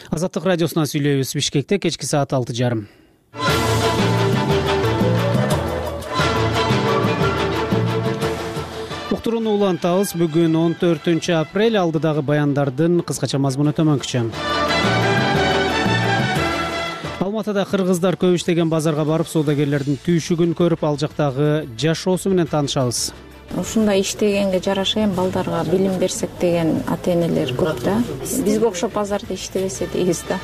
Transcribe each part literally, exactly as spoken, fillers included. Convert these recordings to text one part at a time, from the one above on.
Азаттык радиосунан сүйлөйбүз. Бишкекте кечки саат алты жарым. Уктурууну улантабыз. Бүгүн он төртүнчү апрель. Алдыдагы баяндардын кыскача мазмуну төмөнкүчө. Алматыда кыргыздар көп иштеген базарга барып, соодагерлердин түйшүгүн көрүп, ал жактагы жашоосу менен таанышабыз. Ушундай иштегенге жараша эми балдарга билим берсек деген ата-энелер көп да. Бизге окшоп базарда иштебесе дейбиз да.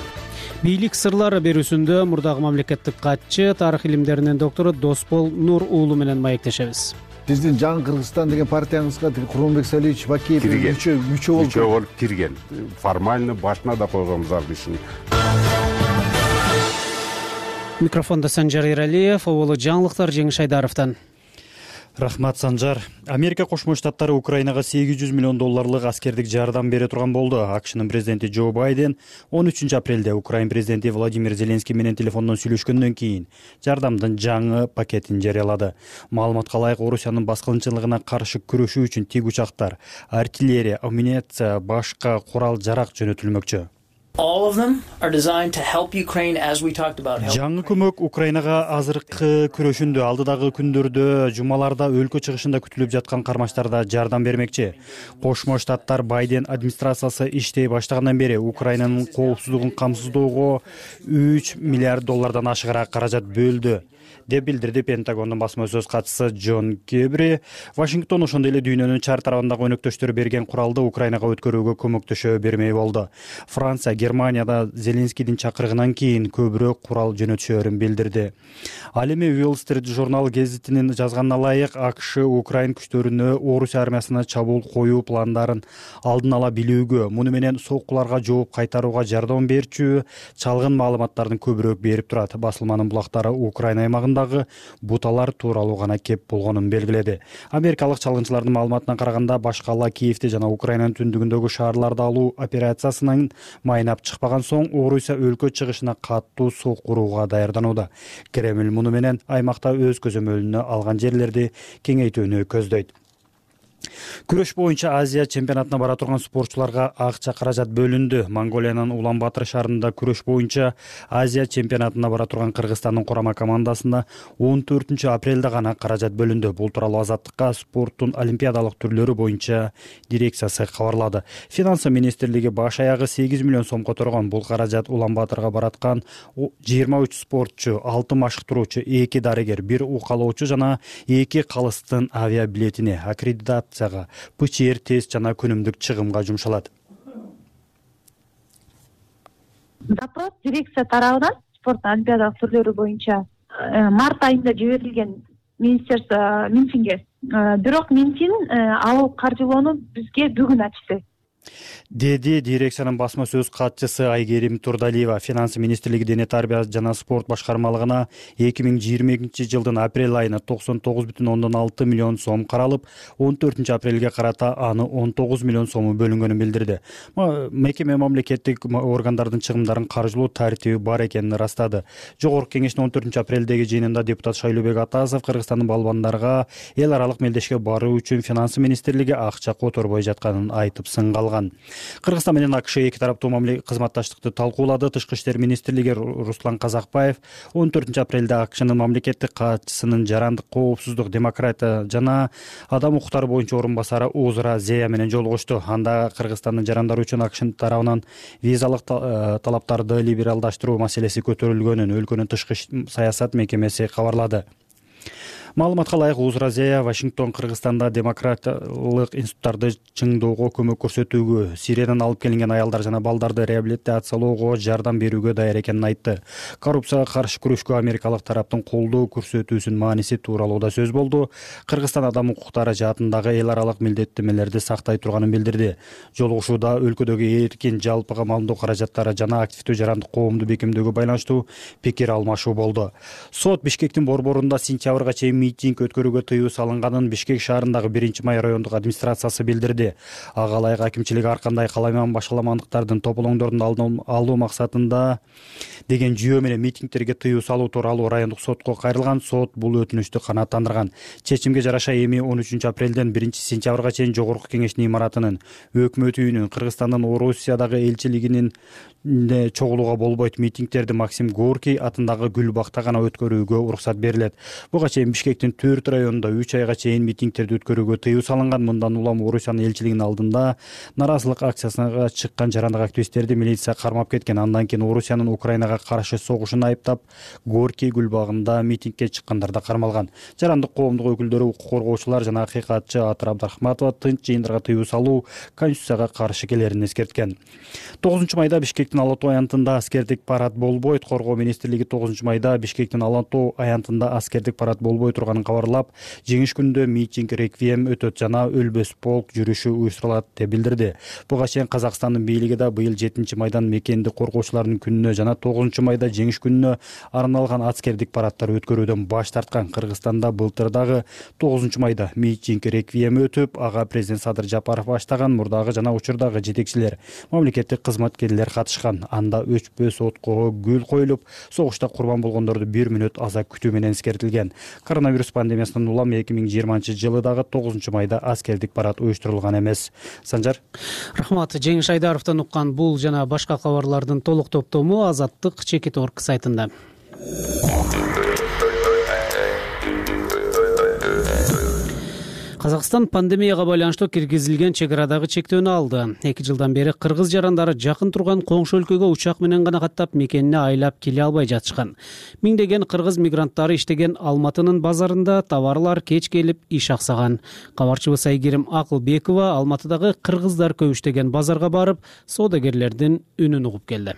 Бийлик сырлары берүүсүндө мурдагы мамлекеттик катчы, тарых илимдеринин доктору Досбол Нур уулу менен маектешебиз. Биздин жаңы Кыргызстан деген партиябызга Курманбек Салиевич Бакиев мүчө мүчө болуп мүчө болуп кирген. Формально башына да койгонбуз ал кишини. Микрофондо Санжар Эралиев, оболу жаңылыктар Жеңиш Айдаровдон. Рахмат, Санжар. Америка Кошмо Штаттары Украинага сегиз жүз миллион долларлык аскердик жардам бере турган болду. АКШнын президенти Джо Байден он үчүнчү апрелде Украин президенти Владимир Зеленский менен телефондон сүйлөшкөндөн кийин жардамдын жаңы пакетин жарыялады. Маалыматка ылайык, Орусиянын баскынчылыгына каршы күрөшүү үчүн тик учактар, артиллерия, амуниция, башка курал-жарак жөнөтүлмөкчү. All of them are designed to help Ukraine, as we talked about. Жаңы көмөк Украинага азыркы күрөшүндө, алдыдагы күндөрдө, жумаларда өлкө чыгышында күтүлүп жаткан кармаштарда жардам бермекчи. Кошмо Штаттар Байден администрациясы иштей баштагандан бери Украинанын коопсуздугун камсыздоого үч миллиард доллардан ашыгыраак каражат бөлдү деп билдирди Пентагондун басма сөз катчысы Джон Кирби. Вашингтон ошондой эле дүйнөнүн чар тарабындагы өнөктөштөрү берген куралды Украинага өткөрүүгө көмөктөшө бермей болду. Франция, Германияда Зеленскийдин чакырыгынан кийин көбүрөөк курал жөнөтүшөөрүн билдирди. Ал эми Wall Street журнал гезитинин жазганына ылайык, АКШ Украин күчтөрүнө Орус армиясына чабуул коюу пландарын алдын ала билүүгө, муну менен соккуларга жооп кайтарууга жардам берчү чалгын маалыматтардын көбүрөөк берип турат. Басылманын булактары Украина аймагындагы буталар тууралуу гана кеп болгонун белгиледи. Америкалык чалгынчылардын маалыматына караганда, башкала Киевди жана Украинанын түндүгүндөгү шаарларды алуу операциясынын майнап чыкпаган соң Орусия өлкө чыгышына каттуу сок курууга даярданууда. Кремль муну менен аймакта өз көзөмөлүнө алган жерлерди кеңейтүүнү көздөйт. Күрөш боюнча Азия чемпионатына бара турган спортчуларга акча каражат бөлүндү. Монголиянын Улан-Батыр шаарында күрөш боюнча Азия чемпионатына бара турган Кыргызстандын курама командасына он төртүнчү апрелде гана каражат бөлүндү. Бул тууралуу Азаттыкка спорттун олимпиадалык түрлөрү боюнча дирекциясы кабарлады. Финансы министрлиги баш аягы сегиз миллион сом которгон. Бул каражат Улан-Батырга бараткан жыйырма үч спортчу, алты машыктыруучу, эки дарыгер, бир укалоочу жана эки калыстын авиабилетине, аккредитация ПЧР тест жана күнүмдүк чыгымга жумшалат. Запрос дирекция тарабынан спорт олимпиадалык түрлөрү боюнча март айында жиберилген министерство Минфинге. Бирок Минфин ал каржылоону бизге бүгүн ачты, деди дирекциянын басма сөз катчысы Айгерим Турдалиева. Финансы министрлиги Дене тарбия жана спорт башкармалыгына эки миң жыйырма экинчи жылдын апрель айына токсон тогуз бүтүн ондон алты миллион сом каралып, он төртүнчү апрелге карата аны он тогуз миллион сому бөлүнгөнүн билдирди. Мекеме мамлекеттик органдардын чыгымдарын каржылоо тартиби бар экенин ырастады. Жогорку кеңештин он төртүнчү апрелдеги жыйынында депутат Шайлообек Атасов Кыргызстандын балбандарга эл аралык мелдешке баруу үчүн финансы министрлиги акча которбой жатканын айтып сынгалган. Кыргызстан менен АКШ эки тараптуу кызматташтыкты талкуулады. Тышкы иштер министрлиги Руслан Казакбаев он төртүнчү апрелде АКШнын мамлекеттик катчысынын жарандык, коопсуздук, демократия жана адам укуктары боюнча орун басары Озура Зея менен жолугушту. Анда Кыргызстандын жарандары үчүн АКШ тарабынан визалык талаптарды либералдаштыруу маселеси көтөрүлгөнүн өлкөнүн тышкы саясат мекемеси кабарлады. Маалыматка ылайык, Озура Зея Вашингтон Кыргызстанда демократиялык институттарды чыңдоого көмөк көрсөтүүгө, Сириядан алып келинген аялдар жана балдарды реабилитациялоого жардам берүүгө даяр экенин айтты. Коррупцияга каршы күрөшкө америкалык тараптын колдоо көрсөтүүсүнүн мааниси тууралуу да сөз болду. Кыргызстан адам укуктары жаатындагы эл аралык милдеттенмелерди сактай турганын билдирди. Жолугушууда өлкөдөгү эркин жалпыга маалымдоо каражаттары жана активдүү жарандык коомду бекемдөөгө байланыштуу пикир алмашуу болду. Сот Бишкектин борборунда сентябрга чейин митинг өткөрүүгө тыюу салынганын Бишкек шаарындагы биринчи май райондук администрациясы билдирди. Ага ылайык акимчилик ар кандай каламан башаламандыктардын тополоңдорун алуу максатында деген жүйө менен митингтерге тыюу салуу тууралуу райондук сотко кайрылган. Сот бул өтүнүчтү канааттандырган. Чечимге жараша эми он үчүнчү апрелден биринчи сентябрга чейин Жогорку Кеңештин имаратынын, Өкмөт үйүнүн, Кыргызстандын Орусиядагы элчилигинин чогулууга болбойт. Митингтерди Максим Горький атындагы Гүл бакта гана өткөрүүгө уруксат берилет. Буга чейин Бишкектин төрт районунда үч айга чейин митингтерди өткөрүүгө тыюу салынган. Мындан улам Орусиянын элчилигинин алдында наразылык акциясына чыккан жарандык активисттерди милиция кармап кеткен. Андан кийин Орусиянын Украинага каршы согушун айыптап, Горький Гүл багында митингге чыккандар да кармалган. Жарандык коомдук өкүлдөрү, укук коргоочулар жана акыйкатчы Атыр Абдрахматова тынч жыйындарга тыюу салуу Конституцияга каршы келерин эскерткен. тогузунчу майда Бишкектин Ала Тоо аянтында аскердик парад болбойт. Коргоо министрлиги тогузунчу майда Бишкектин Ала Тоо аянтында аскердик парад болбой турганын кабарлап, жеңиш күнүндө митинг, реквием өтөт жана өлбөс полк жүрүшү уюштурулат деп билдирди. Буга чейин Казакстандын бийлиги да быйыл жетинчи майдан мекенди коргоочулардын күнүнө жана тогузунчу майда жеңиш күнүнө арналган аскердик парадтар өткөрүүдөн баш тарткан. Кыргызстанда былтыр дагы тогузунчу майда митинг, реквием өтүп, ага президент Садыр Жапаров баштаган мурдагы жана учурдагы жетекчилер, мамлекеттик кызматкерлер катышкан. Анда өчпөс отко гүл коюлуп, согушта курбан болгондорду бир мүнөт аза күтүү менен эскертилген. Коронавирус пандемиясынан улам эки миң жыйырманчы жылы дагы тогузунчу майда аскердик парад уюштурулган эмес. Санжар. Рахмат. Жеңиш Айдаровдон уккан бул жана башка кабарлардын толук топтому Азаттык чекит орг сайтында. Казакстан пандемияга байланыштуу киргизилген чек арадагы чектөөнү алды. эки жылдан бери кыргыз жарандары жакын турган коңшу өлкөгө учак менен гана каттап, мекенине айлап келе албай жатышкан. Миңдеген кыргыз мигранттары иштеген Алматынын базарында товарлар кеч келип иш аксаган. Кабарчыбыз Айгерим Акылбекова Алматыдагы кыргыздар көп иштеген базарга барып, соодагерлердин үнүн угуп келди.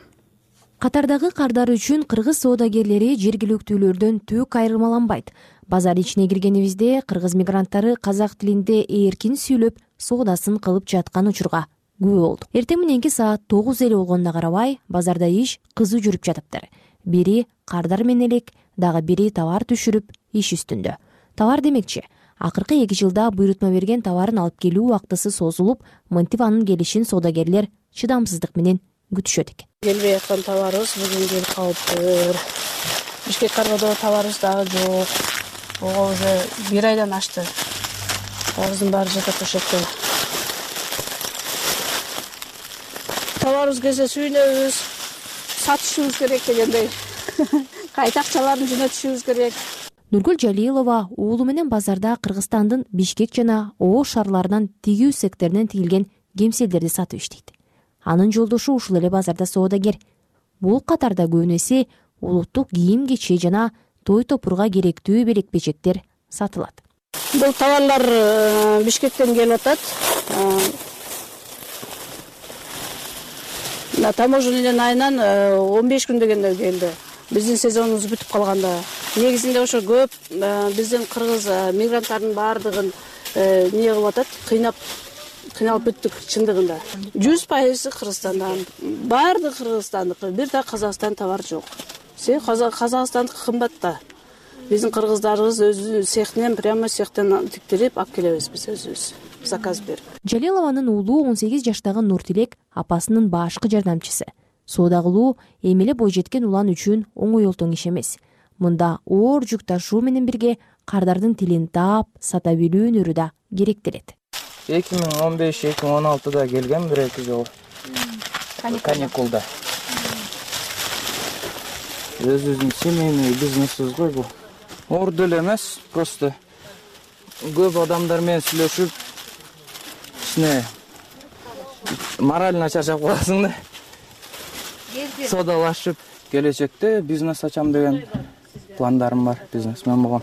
Катардагы кардар үчүн кыргыз соодагерлери жергиликтүүлөрдөн түк айырмаланбайт. Базар ичине киргенибизде кыргыз мигранттары казак тилинде эркин сүйлөп, соодасын кылып жаткан учурга күбө болдук. Эртең мененки саат тогуз эле болгонуна карабай, базарда иш кызуу жүрүп жатыптыр. Бири кардар менен элек, дагы бири товар түшүрүп иш үстүндө. Товар демекчи, акыркы эки жылда буйрутма берген товарын алып келүү убактысы созулуп, мынтип анын келишин соодагерлер чыдамсыздык менен күтүшөт экен. Келбей аткан товарыбыз бүгүн келип калыптыр. Бишкек каргоодо товарыбыз дагы жок. Ого уже бир айдан ашты. Товарыбыздын баары жатат ошол. Товарыбыз келсе сүйүнөбүз, сатышыбыз керек дегендей. Кайта акчаларын жөнөтүшүбүз керек. Нургүл Жалилова уулу менен базарда Кыргызстандын Бишкек жана Ош шаарларынан тигүү секторунан тигилген кемселдерди сатып иштейт. Анын жолдошу ушул эле базарда соодагер. Бул катарда көбүнесе улуттук кийим-кечек жана той топурга керектүү белек-бечектер сатылат. Бул товарлар Бишкектен келип атат. На таможенный айынан он беш күн дегенде келди. Биздин сезонубуз бүтүп калганда. Негизинде ошо көп биздин кыргыз мигранттардын баардыгын эмне кылып атат, кыйнап кыйналып бүттүк чындыгында. жүз пайыз Кыргызстандан, баардык Кыргызстандыкы, бир да Казакстан товар жок. Се Казакстандыкы кымбат да. Биздин кыргыздарыбыз өзү цехтен прямо цехтен тиктирип алып келебиз биз өзүбүз. Заказ берип. Жалилованын уулу он сегиз жаштагы Нуртилек апасынын башкы жардамчысы. Соода кылуу эми эле бойжеткен улан үчүн оңой олтоң иш эмес. Мында оор жүк ташуу менен бирге кардардын тилин таап, сата билүү өнөрү да керектелет. эки миң он беш эки миң он алтыда келгем бир эки жолу. Каникулда. Өзүбүздүн семейный бизнесибиз го бул. Оор деле эмес, просто көп адамдар менен сүйлөшүп, ичине морально чарчап каласың да. Соодалашып, келечекте бизнес ачам деген пландарым бар, бизнесмен болгом.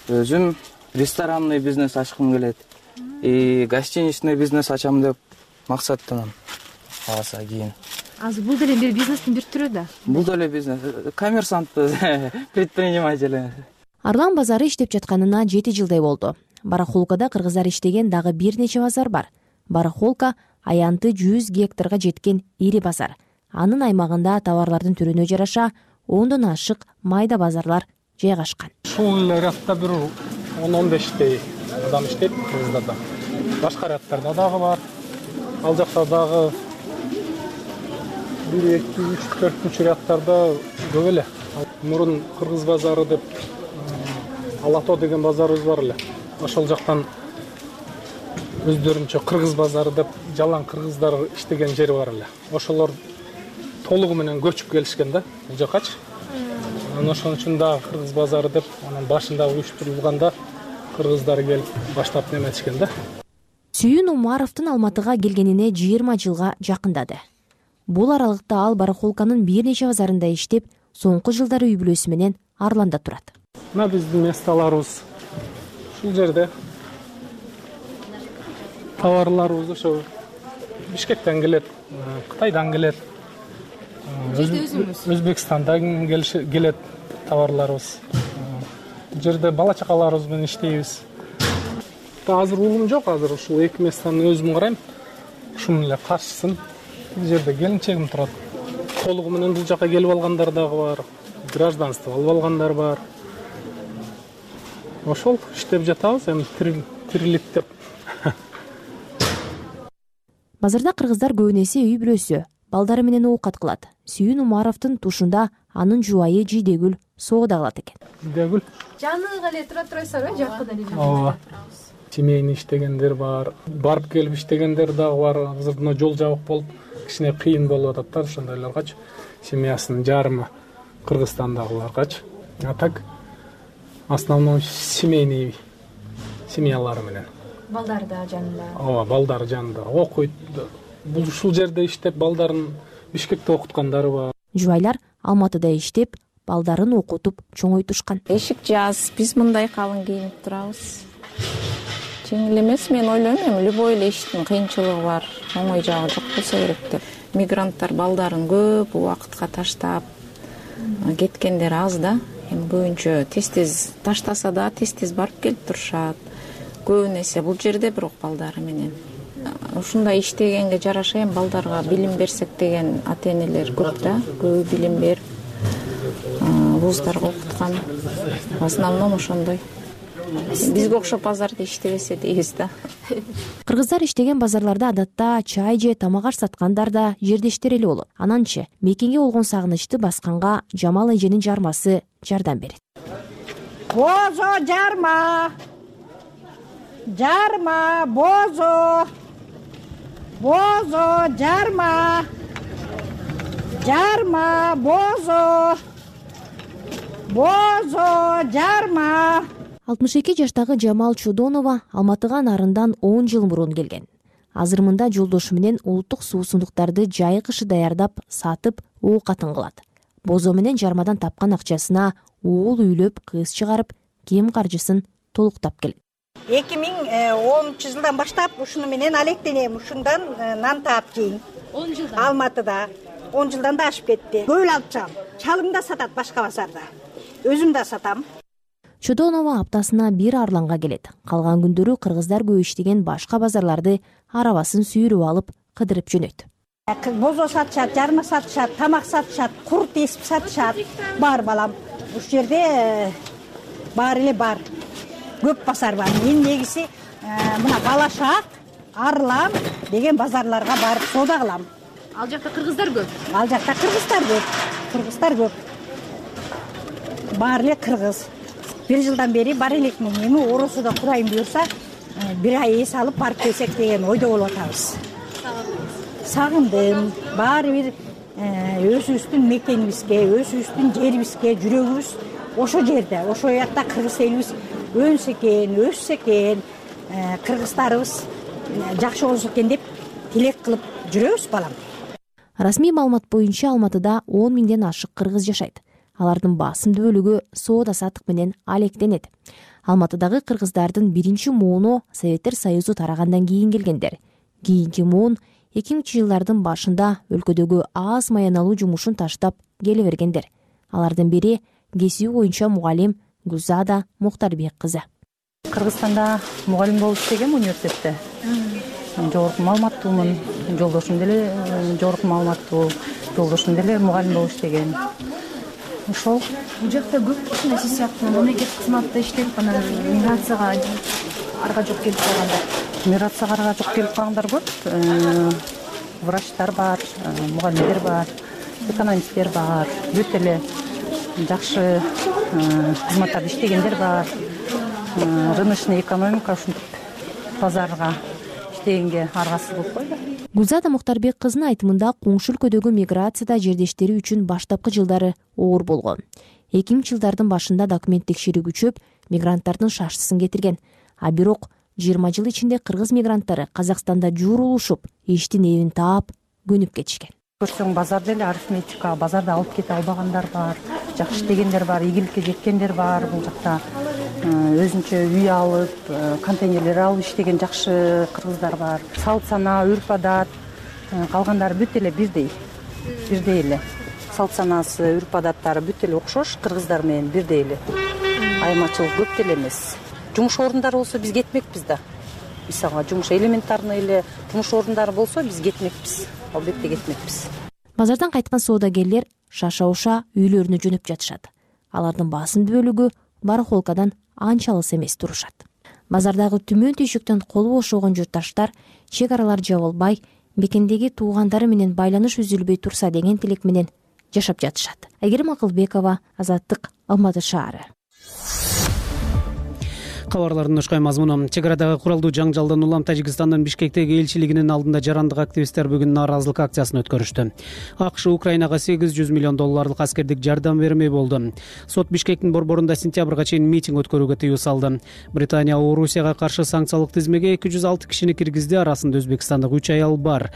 Өзүм ресторанный бизнес ачкым келет. И гостиничный бизнес ачам деп максаттанам. Кааласа кийин. Азыр бул деле бир бизнестин бир түрү да. Бул деле бизнес, коммерсантпыз, предприниматель. Арлан базары иштеп жатканына жети жылдай болду. Барахолкада кыргыздар иштеген дагы бир нече базар бар. Барахолка аянты жүз гектарга жеткен ири базар. Анын аймагында товарлардын түрүнө жараша ондон ашык майда базарлар жайгашкан. Ушул рядда бир он он бештей адам иштейт Кыргыздарда. Башка рядтарда дагы бар. Ал жакта дагы бир эки үч төртүнчү рядтарда көп эле. Мурун Кыргыз базары деп Алато деген базарыбыз бар эле. Ошол жактан өздөрүнчө Кыргыз базары деп жалаң кыргыздар иштеген жери бар эле. Ошолор толугу менен көчүп келишкен да бул жакачы. Анан ошон үчүн дагы Кыргыз базары деп анан башында уюштурулганда кыргыздар келип баштап неметишкен да. Сүйүн Умаровдун Алматыга келгенине жыйырма жылга жакындады. Бул аралыкта ал барахолканын бир нече базарында иштеп, соңку жылдары үй бүлөсү менен Арланда турат. Мына биздин месталарыбыз ушул жерде. Товарларыбыз ошо Бишкектен келет, Кытайдан келет, Өзбекстандан келет товарларыбыз. Бул жерде бала чакаларыбыз менен иштейбиз. Азыр уулум жок, азыр ушул эки местаны өзүм карайм. Ушунун эле каршысын бул жерде келинчегим турат. Толугу менен бул жака келип алгандар дагы бар, гражданство алып алгандар бар. Ошол иштеп жатабыз, эми тирилик деп. Базарда кыргыздар көбүнесе үй бүлөсү, балдары менен оокат кылат. Сүйүн Умаровдун тушунда анын жубайы Жидегүл соода кылат экен. Жидегүл жаныга эле тура турасыздар э, жакында эле. Ооба. Семейный иштегендер бар, барып келип иштегендер дагы бар. Азыр мына жол жабык болуп, кичине кыйын болуп атат да ошондойлоргачы. Семьясынын жарымы Кыргызстандагыларгачы. А так основном семейный семьялары менен. Балдары да жанында. Ооба, балдары жанында. Окуйт. Бул ушул жерде иштеп, балдарын Бишкекте окуткандары бар. Жубайлар Алматыда иштеп, балдарын окутуп чоңойтушкан. Эшик жаз, биз мындай калың кийинип турабыз. Жеңил эмес, мен ойлойм, эми любой эле иштин кыйынчылыгы бар, оңой жагы жок болсо керек деп. Мигранттар балдарын көп убакытка таштап кеткендер аз да. Эми көбүнчө тез-тез таштаса да тез-тез барып келип турушат. Көбүнесе бул жерде бирок балдары менен. Ушундай иштегенге жараша эми балдарга билим берсек деген ата-энелер көп да. Көбү билим берип, вуздарга окуткан. В основном ошондой. Бизге окшоп базарда иштебесе дейбиз да. Кыргыздар иштеген базарларда адатта чай же тамак аш саткандар да жердештер эле болот. Ананчы мекенге болгон сагынычты басканга Жамал эженин жармасы жардам берет. Бозо жарма. Жарма, бозо. Бозо жарма. Жарма, бозо. Бозо жарма. алтымыш эки жаштагы Жамал Чудонова Алматыга нарындан он жыл мурун келген. Азыр мында жолдошу менен улуттук суусундуктарды жай кышы даярдап, сатып, оокатын кылат. Бозо менен жармадан тапкан акчасына уул үйлөп, кыз чыгарып, кийим каржысын толуктап келет. эки миң онунчу жылдан баштап ушуну менен алектенем, ушундан нан таап жейм. он жылдан. Алматыда он жылдан да ашып кетти. Көп эле алып чыгам. Чалым да сатат башка базарда. Өзүм да сатам. Чудонова аптасына бир Арланга келет. Калган күндөрү кыргыздар көп иштеген башка базарларды арабасын сүйрүп алып кыдырып жөнөйт. Бозо сатышат, жарма сатышат, тамак сатышат, курт эсип сатышат. Бар балам. Ушул жерде бар эле бар. Көп базар бар. Мен негизи мына Балашак, Арлан деген базарларга барып соода кылам. Ал жакта кыргыздар көп. Ал жакта кыргыздар көп. Кыргыздар көп. Бар эле кыргыз. Бир жылдан бери бар элекмин. Эми оросуда Кудайым буйрса, бир ай эс алып барып келсек деген ойдо болуп атабыз. Сагындым. Баары бир өзүбүздүн мекенибизге, өзүбүздүн жерибизге жүрөгүбүз ошо жерде. Ошо жакта кыргыз элибиз өнсө экен, өссө экен, кыргыздарыбыз жакшы болсо экен деп тилек кылып жүрөбүз балам. Расмий маалымат боюнча Алматыда он миңден ашык кыргыз жашайт. Алардын басымдуу бөлүгү соода сатык менен алектенет. Алматыдагы кыргыздардын биринчи мууну Советтер Союзу тарагандан кийин келгендер. Кийинки муун эки миңинчи жылдардын башында өлкөдөгү аз маяналуу жумушун таштап келе бергендер. Алардын бири кесиби боюнча мугалим Гүлзада Муктарбек кызы. Кыргызстанда мугалим болуп иштегем университетте. Жогорку маалыматтуумун, жолдошум деле жогорку маалыматтуу, жолдошум деле мугалим болуп иштеген. ошол бул жакта көп ушундай сиз сыяктуу мамлекеттик кызматта иштеп анан миграцияга арга жок келип калгандар миграцияга арга жок келип калгандар көп. Врачтар бар, мугалимдер бар, экономисттер бар, өтө эле жакшы кызматтарда иштегендер бар. Рыночный экономика ушинтип базарга иштегенге аргасыз болуп койду. Гүлзада Муктарбек кызынын айтымында коңшу өлкөдөгү миграцияда жердештери үчүн баштапкы жылдары оор болгон. эки миңинчи жылдардын башында документ текшерүү күчөп, мигранттардын шаштысын кетирген. А бирок жыйырма жыл ичинде кыргыз мигранттары Казакстанда жуурулушуп, иштин эбин таап, көнүп кетишкен. Көрсөң базарда эле арифметика, базарда алып кете албагандар бар, жакшы иштегендер бар, ийгиликке жеткендер бар. Бул жакта өзүнчө үй алып, контейнерлер алып иштеген жакшы кыргыздар бар. Салт сана, үрп адат калгандары бүт эле бирдей. Бирдей эле. Салт санасы, үрп адаттары бүт эле окшош, кыргыздар менен бирдей эле. Айырмачылык көп деле эмес. Жумуш орундары болсо биз кетмекпиз да. Мисалга жумуш элементарный эле жумуш орундары болсо биз кетмекпиз. Албетте кетмекпиз. Базардан кайткан соодагерлер шаша-уша үйлөрүнө жөнөп жатышат. Алардын басым бөлүгү барахолкадан анча алыс эмес турушат. Базардагы түмөн түйшүктөн колу бошогон журтташтар чек аралар жабылбай, мекендеги туугандары менен байланыш үзүлбөй турса деген тилек менен жашап жатышат. Айгерим Акылбекова, Азаттык, Алматы шаары. Кабарлардын ушкай мазмуну. Чек арадагы куралдуу жаңжалдан улам Тажикстандын Бишкектеги элчилигинин алдында жарандык активисттер бүгүн нааразылык акциясын өткөрүштү. АКШ Украинага сегиз жүз миллион долларлык аскердик жардам бермей болду. Сот Бишкектин борборунда сентябрга чейин митинг өткөрүүгө тыюу салды. Британия Орусияга каршы санкциялык тизмеге эки жүз алты кишини киргизди, арасында өзбекстандык үч аял бар.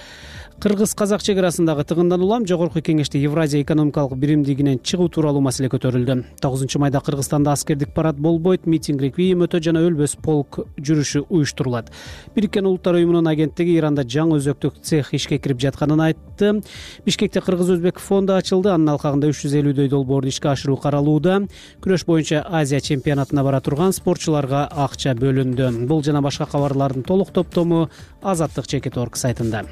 Кыргыз-казак чек арасындагы тыгындан улам жогорку кеңеште Евразия экономикалык биримдигинен чыгуу тууралуу маселе көтөрүлдү. тогузунчу майда Кыргызстанда аскердик парад болбойт, митинг реквием өтө жана өлбөс полк жүрүшү уюштурулат. Бириккен Улуттар уюмунун агенттиги Иранда жаңы өзөктүк цех ишке кирип жатканын айтты. Бишкекте кыргыз-өзбек фонду ачылды. Анын алкагында үч жүз элүүдөй долбоорду ишке ашыруу каралууда. Күрөш боюнча Азия чемпионатына бара турган спортчуларга акча бөлүндү. Бул жана башка кабарлардын толук топтому Азаттык чекит точка орг сайтында.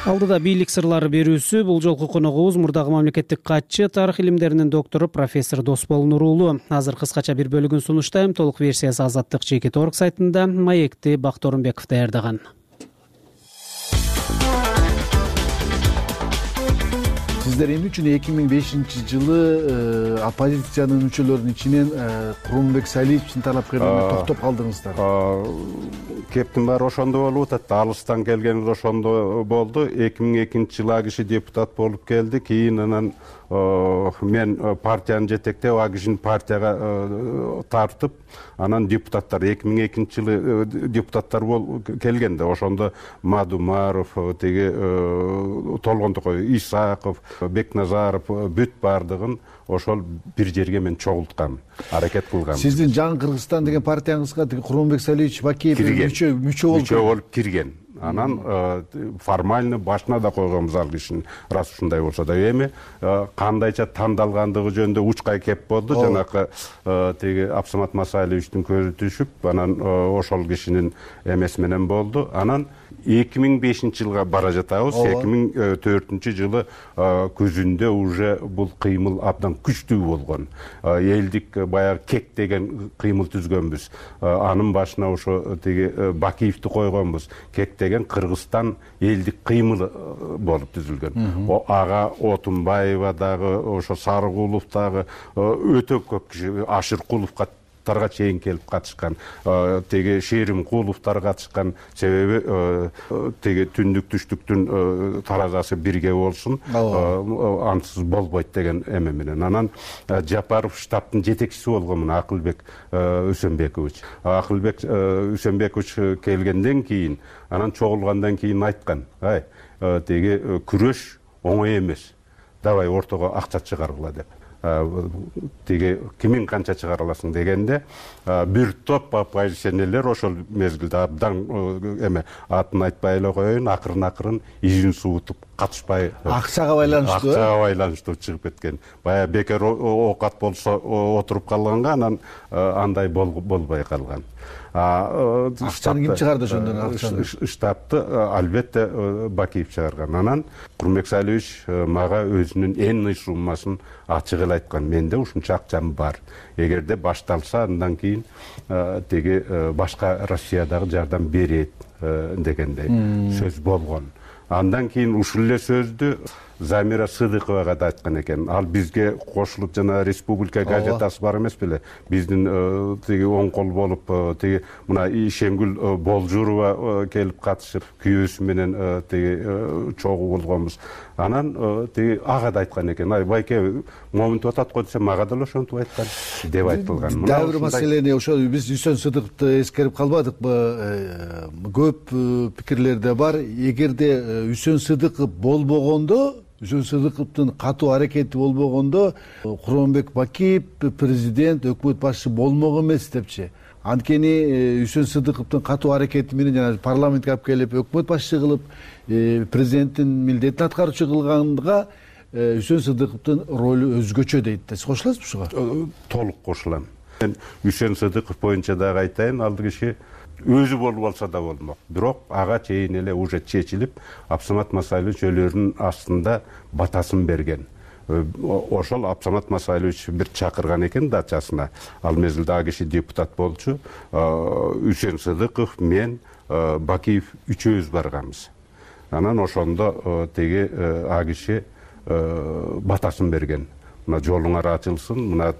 Алдыда бийлик сырлары берүүсү. Бул жолку коногубуз мурдагы мамлекеттик катчы, тарых илимдеринин доктору профессор Досбол Нурулуу. Азыр кыскача бир бөлүгүн сунуштайм. Толук версиясы Азаттык чекит точка орг сайтында. Маекти Бакторунбеков даярдаган. Сиздер эмне үчүн эки миң бешинчи жылы оппозициянын мүчөлөрүнүн ичинен Курманбек Салиевичтин талапкерлигине токтоп калдыңыздар? Кептин баары ошондо болуп атат. Алыстан келген ошондо болду. эки миң экинчи жылы а киши депутат болуп келди. Кийин анан мен партияны жетектеп, а кишини партияга тартып, анан депутаттар эки миң экинчи жылы депутаттар бол келгенде ошондо Мадумаров, теги Толгон Токой, Исаков, Бекназаров бүт бардыгын ошол бир жерге мен чогулткам, аракет кылгам. Сиздин Жаңы Кыргызстан деген партияңызга Курманбек Салиевич Бакиев мүчө мүчө болуп мүчө болуп кирген. Анан формально башына да койгонбуз ал кишини, рас ушундай болсо да. Эми кандайча тандалгандыгы жөнүндө учкай кеп болду. Жанакы теги Абсамат Масалиевичтин көзү түшүп, анан ошол кишинин эмеси менен болду. Анан эки миң бешинчи жылга бара жатабыз. эки миң төртүнчү жылы күзүндө уже бул кыймыл абдан күчтүү болгон. Элдик баягы кек деген кыймыл түзгөнбүз. Анын башына ошо теги Бакиевди койгонбуз. Кек деген Кыргызстан элдик кыймылы болуп түзүлгөн. Ага Отунбаева дагы, ошо Сарыгулов дагы өтө көп киши, Ашыркуловго тарга чейин келип катышкан, теги Шеримкуловдор катышкан. Себеби теги түндүк түштүктүн таразасы бирге болсун, ансыз болбойт деген эме менен. Анан Жапаров штабтын жетекчиси болгон Акылбек Үсөнбекович. Акылбек Үсөнбекович келгенден кийин, анан чогулгандан кийин айткан, ай, теги күрөш оңой эмес. Давай ортого акча чыгаргыла деп. Теги кимин канча чыгара аласың дегенде, бир топ оппозиционерлер ошол мезгилде абдан эме атын айтпай эле коеюн, акырын-акырын изин суутуп катышпай акчага байланыштуу акчага байланыштуу чыгып кеткен. Баягы бекер оокат болсо отуруп калганга анан андай болбой калган. Акчаны ким чыгарды ошондон? Акчаны штабты албетте Бакиев чыгарган. Анан Курманбек Салиевич мага өзүнүн эң ый суммасын ачык эле айткан. Менде ушунча акчам бар. Эгерде башталса андан кийин теги башка Россиядагы жардам берет дегендей сөз болгон. Андан кийин ушул эле сөздү Замира Сыдыковага да айткан экен. Ал бизге кошулуп жана Республика газетасы бар эмес беле? Биздин тиги оң кол болуп, тиги мына Ишемгүл Болжурова келип катышып, күйөөсү менен тиги чогуу болгонбуз. Анан тиги ага да айткан экен. Ай байке, момунтип атат го десе, мага да ошентип айткан деп айтылган. Дагы бир маселени ошо биз Үсөн Сыдыковду эскерип калбадыкпы? Көп пикирлер да бар. Эгерде Үсөн Сыдыков болбогондо, Үсөн Сыдыковдун катуу аракети болбогондо, Курманбек Бакиев президент, өкмөт башчы болмок эмес депчи. Анткени Үсөн Сыдыковдун катуу аракети менен жана парламентке алып келип, өкмөт башчы кылып, президенттин милдетин аткаруучу кылганга Үсөн Сыдыковдун ролу өзгөчө дейт. Сиз кошуласызбы ушуга? Толук кошулам. Мен Үсөн Сыдыков боюнча дагы айтайын, ал киши өзү болуп алса да болмок. Бирок ага чейин эле уже чечилип, Абсамат Масайлович өлөрүнүн астында батасын берген. Ошол Абсамат Масайлович бир чакырган экен дачасына. Ал мезгилде ал киши депутат болчу. Үсөн Сыдыков, мен, Бакиев үчөөбүз барганбыз. Анан ошондо теги ал киши батасын берген. Мына жолуңар ачылсын, мына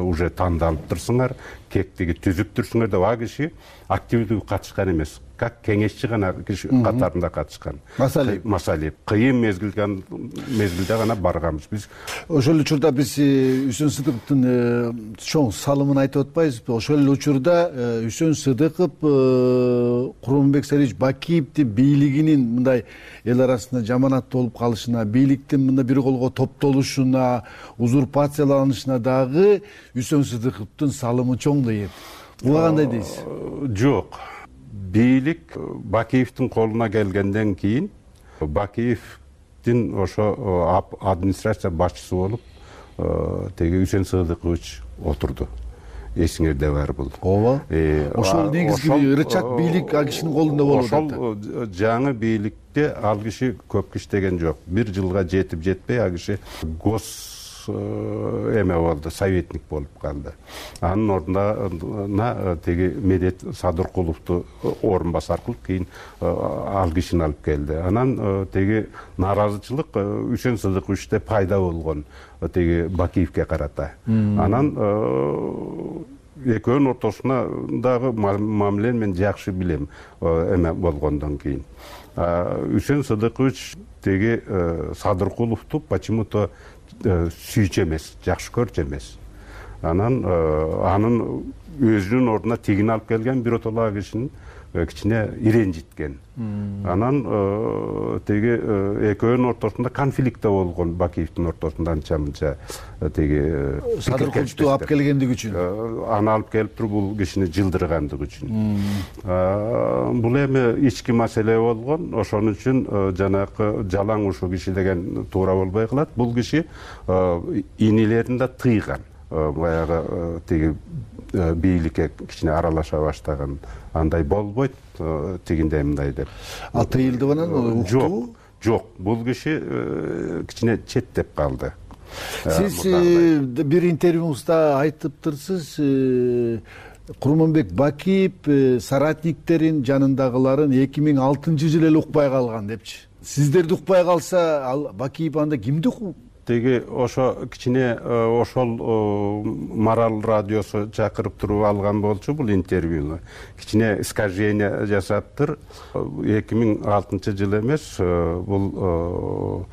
уже тандалып турсуңар, кектиги түзүп турсуңар деп ал киши активдүү катышкан эмес. Как кеңешчи гана киши катарында катышкан. Масалиев. Масалиев. Кыйын мезгилде мезгилде гана барганбыз биз. Ошол эле учурда биз Үсөн Сыдыковдун чоң салымын айтып атпайбызбы? Ошол эле учурда Үсөн Сыдыков Курманбек Салиевич Бакиевдин бийлигинин мындай эл арасында жаманаттуу болуп калышына, бийликтин мында бир колго топтолушуна, узурпацияланышына дагы Үсөн Сыдыковдун салымы чоң дейт. Буга кандай дейсиз? Жок. Бийлик Бакиевдин колуна келгенден кийин Бакиевдин ошо администрация башчысы болуп теги Үсөн Сыдыкович отурду. Эсиңерде бар бул. Ооба. Ошол негизги рычаг бийлик ал кишинин колунда болуп атат. Ошол жаңы бийликте ал киши көп иштеген жок. Бир жылга жетип жетпей ал киши гос эме болду, советник болуп калды. Анын ордуна теги Медет Садыркуловду орун басар кылып, кийин ал кишини алып келди. Анан теги нааразычылык Үсөн Сыдыковичте пайда болгон теги Бакиевке карата. Анан экөөнүн ортосуна дагы мамилени мен жакшы билем эме болгондон кийин. Үсөн Сыдыкович теги Садыркуловду почему-то сүйчү эмес, жакшы көрчү эмес. Анан анын өзүнүн ордуна тигин алып келген биротола кишинин кичине иренжиткен. Анан теги экөөнүн ортосунда конфликт болгон, Бакиевдин ортосунда анча-мынча теги Садыркуловду алып келгендиги үчүн. Аны алып келип туруп бул кишини жылдыргандыгы үчүн. Бул эми ички маселе болгон. Ошон үчүн жанагы жалаң ушул киши деген туура болбой калат. Бул киши инилерин да тыйган. Баягы теги бийликке кичине аралаша баштаган. Андай болбойт, тигиндей мындай деп. А тыйылдыбы анан? Жок, жок. Бул киши кичине четтеп калды. Сиз бир интервьюңузда айтыптырсыз, Курманбек Бакиев соратниктерин жанындагыларын эки миң алтынчы жылы эле укпай калган депчи. Сиздерди укпай калса, ал Бакиев анда кимди укпайт? Теги ошо кичине ошол Марал радиосу чакырып туруп алган болчу бул интервьюну. Кичине искажение жасаптыр. эки миң алтынчы жыл эмес, бул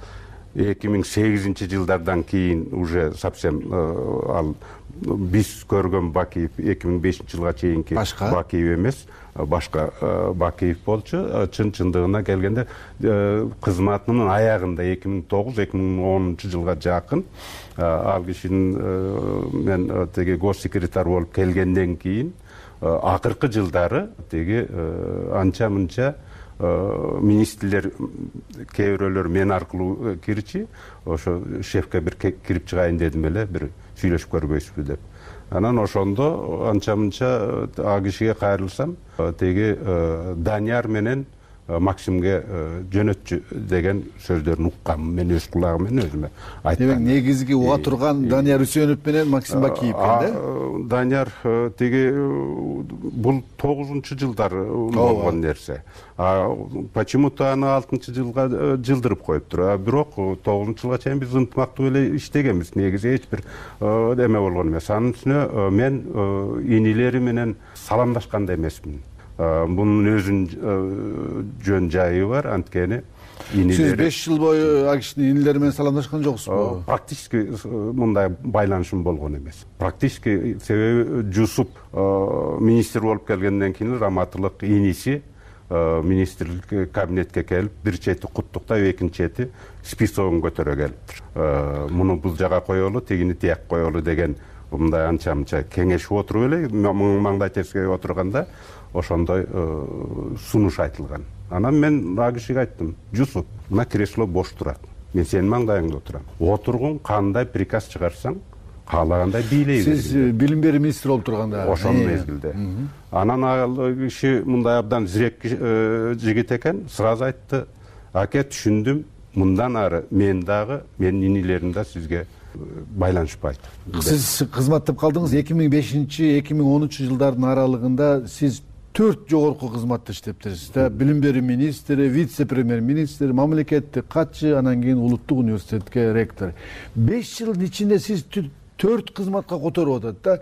эки миң сегизинчи жылдардан кийин уже совсем ал биз көргөн Бакиев эки миң бешинчи жылга чейинки Бакиев эмес, башка Бакиев болчу. Чын чындыгына келгенде кызматынын аягында эки миң тогуз эки миң онунчу жылга жакын ал кишинин мен теги госсекретарь болуп келгенден кийин акыркы жылдары теги анча-мынча министрлер кээ бирөөлөр мен аркылуу кирчи, ошо шефке бир кирип чыгайын дедим эле, бир сүйлөшүп көрбөйсүзбү деп. Анан ошондо анча мынча а кишиге кайрылсам, теги Данияр менен Максимге жөнөтчү деген сөздөрүн уккам, мен өз кулагым менен өзүмө айткам. Демек негизги уга турган Данияр Үсөнов менен Максим Бакиев экен да? Данияр теги бул тогузунчу жылдар болгон нерсе. Почему-то аны алтынчы жылга жылдырып коюптур. А бирок тогузунчу жылга чейин биз ынтымактуу эле иштегенбиз. Негизи эч бир эме болгон эмес. Анын үстүнө мен инилери менен саламдашкан да эмесмин. Bunun özün жөн жайы бар, анткени инилери. Сиз беш жыл бою а кишинин инилери менен саламдашкан жоксузбу? Практически мындай байланышым болгон эмес. Практически себеби Жусуп министр болуп келгенден кийин Раматылык иниси министрлик кабинетке келип, бир чети куттуктап, экинчи чети списогун көтөрө келиптир. Муну бул жага коелу, тигини тияк коелу деген мындай анча-мынча кеңешип отуруп эле, маңдай терскеге отурганда ошондой сунуш айтылган. Анан мен а кишиге айттым: Жусуп, мына кресло бош турат. Мен сенин маңдайыңда отурам. Отургун, кандай приказ чыгарсаң, каалагандай бийлей бер. Сиз билим берүү министри болуп турганда ошол мезгилде. Анан ал киши мындай абдан зирек жигит экен, сразу айтты: "Аке, түшүндүм. Мындан ары мен дагы, менин инилерим да сизге байланышпайт." Сиз кызматтап калдыңыз. эки миң бешинчи эки миң онунчу жылдардын аралыгында сиз төрт жогорку кызматта иштептирсиз да. Билим берүү министри, вице-премьер-министр, мамлекеттик катчы, анан кийин улуттук университетке ректор. беш жылдын ичинде сиз төрт кызматка которуп атат да.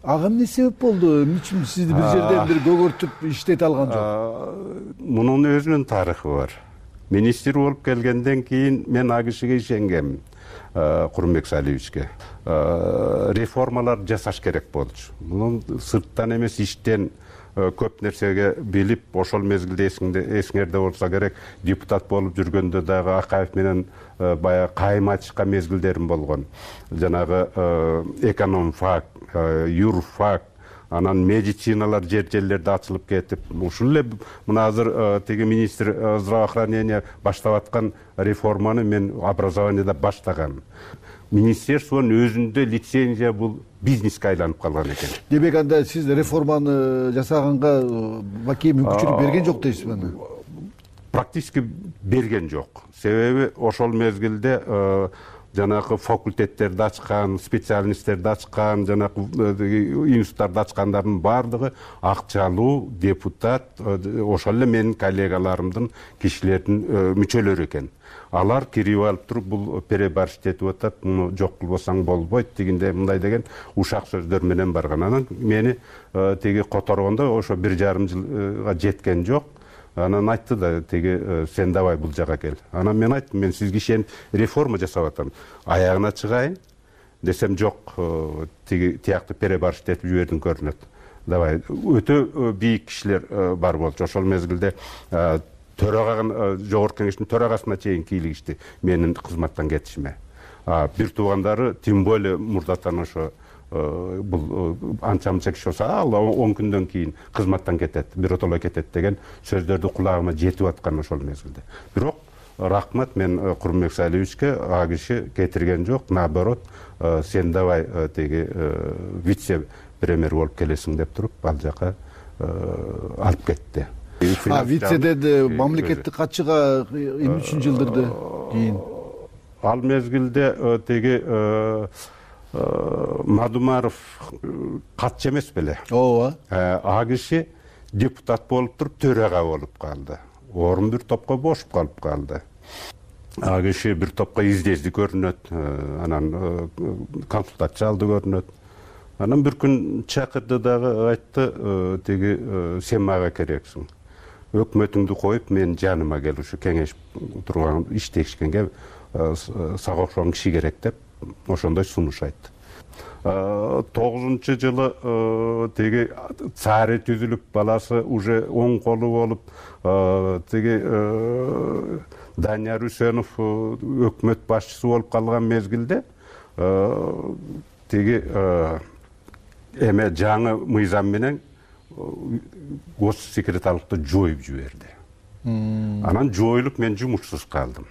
Ага эмне себеп болду? Эмне сизди бир жерден бир көгөртүп иштете алган жок? Мунун өзүнүн тарыхы бар. Министр болуп келгенден кийин мен а кишиге ишенгем, Курманбек Салиевичке. Реформалар жасаш керек болчу. Мунун сырттан эмес, иштен көп нерсеге билип, ошол мезгилде эсиңерде болсо керек, депутат болуп жүргөндө дагы Акаев менен баягы кайым ачышкан мезгилдерим болгон. Жанагы экономфак, юрфак, анан медициналар жер жерлерде ачылып кетип, ушул эле мына азыр теги министр здравоохранения баштап аткан реформаны мен образованияда баштагам. Министерствонун өзүндө лицензия бул бизнеске айланып калган экен. Демек анда сиз реформаны жасаганга Бакиев мүмкүнчүлүк берген жок дейсизби аны? Практически берген жок. Себеби ошол мезгилде жанагы факультеттерди ачкан, специалисттерди ачкан, жанагы институттарды ачкандардын баардыгы акчалуу депутат, ошол эле менин коллегаларымдын, кишилердин мүчөлөрү экен. Алар кирип алып туруп, бул перебарщик этип атат, муну жок кылбасаң болбойт дегенде, мындай деген ушак сөздөр менен барган. Анан мени теги которгондо ошо бир жарым жылга жеткен жок. Анан айтты да, теги сен давай бул жага кел. Анан мен айттым, мен сизге ишенип реформа жасап атам. Аягына чыгайын десем жок, теги тияктуу перебарщик этип жибердиң көрүнөт. Давай, өтө бийик кишилер бар болчу. Ошол мезгилде төраганы, жогорку кеңештин төрагасына чейин кийлигишти менин кызматтан кетишиме. Бир туугандары тем более мурдатан ошо бул анча-мынча киши болсо, ал он күндөн кийин кызматтан кетет, биротолой кетет деген сөздөрдү кулагыма жетип аткан ошол мезгилде. Бирок рахмат, мен Курманбек Салиевичке а киши кетирген жок, наоборот, сен давай теги вице-премьер болуп келесиң деп туруп, ал жака алып кетти. А вицеден мамлекеттик катчыга эмне үчүн жылдырды кийин? Ал мезгилде теги Мадумаров катчы эмес беле? Ооба. А киши депутат болуп туруп төрага болуп калды. Орун бир топко бошуп калып калды. А киши бир топко издезди көрүнөт, анан консультация алды көрүнөт. Анан бир күн чакырды дагы, айтты, теги сен мага керексиң. Өкмөтүңдү коюп, мен жаныма кел, ушу кеңешип турган, иштешкенге сага окшогон киши керек деп, ошондой сунуш айтты. тогузунчу жылы теги цари түзүлүп, баласы уже оң колу болуп, теги Данияр Үсөнов өкмөт башчысы болуп калган мезгилде, теги эме жаңы мыйзам менен гос секретарлыкты жоюп жиберди. анан жоюлуп мен жумушсуз калдым.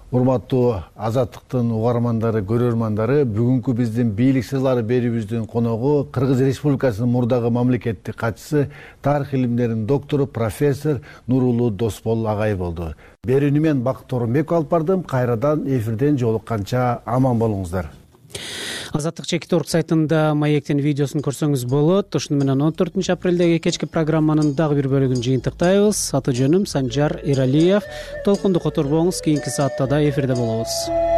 Урматтуу Азаттыктын угармандары, көрөрмандары, бүгүнкү биздин бийлик сырлары берүүбүздүн коногу Кыргыз Республикасынын мурдагы мамлекеттик катчысы, тарых илимдеринин доктору, профессор Нурулуу Досбол агай болду. Берүүнү мен Бакыт Орунбеков алып бардым. Кайрадан эфирден жолукканча аман болуңуздар. Азаттык чекит орг сайтында маектин видеосун көрсөңүз болот. Ушуну менен он төртүнчү апрелдеги кечки программанын дагы бир бөлүгүн жыйынтыктайбыз. Аты жөнүм Санжар Иралиев. Толкунду которбоңуз, кийинки саатта да эфирде болобуз.